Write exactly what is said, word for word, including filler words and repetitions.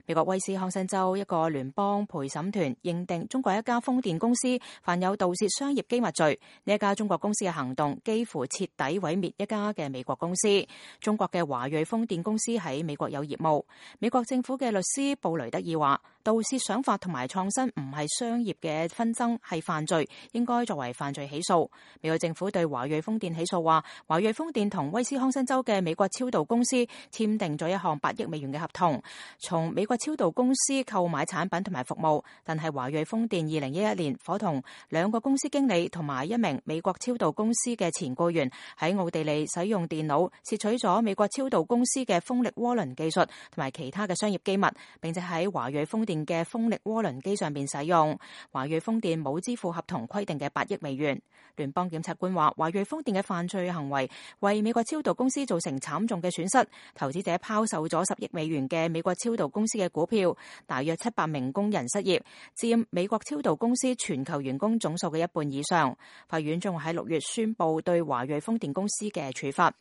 美國威斯康辛州一個聯邦陪審團認定中國一家風電公司犯有盜竊商業機密罪。呢一家中國公司嘅行動幾乎徹底毀滅一家嘅美國公司。中國嘅華裔風電公司喺美國有業務。美國政府嘅律師布雷德爾話，盜竊想法同埋創新唔係商業嘅紛爭，係犯罪，應該作為犯罪起訴。美國政府對華裔風電起訴話，華裔風電同威斯康辛州嘅美國超導公司簽訂咗一項八億美元嘅合同，從美國超導公司購買產品同埋服務，但係華裔風電二零一一年伙同兩個公司經理同埋一名美國超導公司嘅前僱員喺奧地利使用電腦竊取咗美國超導公司嘅風力渦輪技術同埋其他嘅商業機密，並且喺華裔風電嘅風力渦輪機上邊使用。華裔風電冇支付合同規定嘅八億美元。聯邦檢察官話，華裔風電嘅犯罪行為為美國超導公司造成慘重嘅損失，投資者拋售咗十億美元嘅美國超導公司嘅股票，大約七百名工人失業，佔美國超導公司全球員工總數嘅一半以上。法院將會喺六月宣布對華裔風電公司嘅處罰。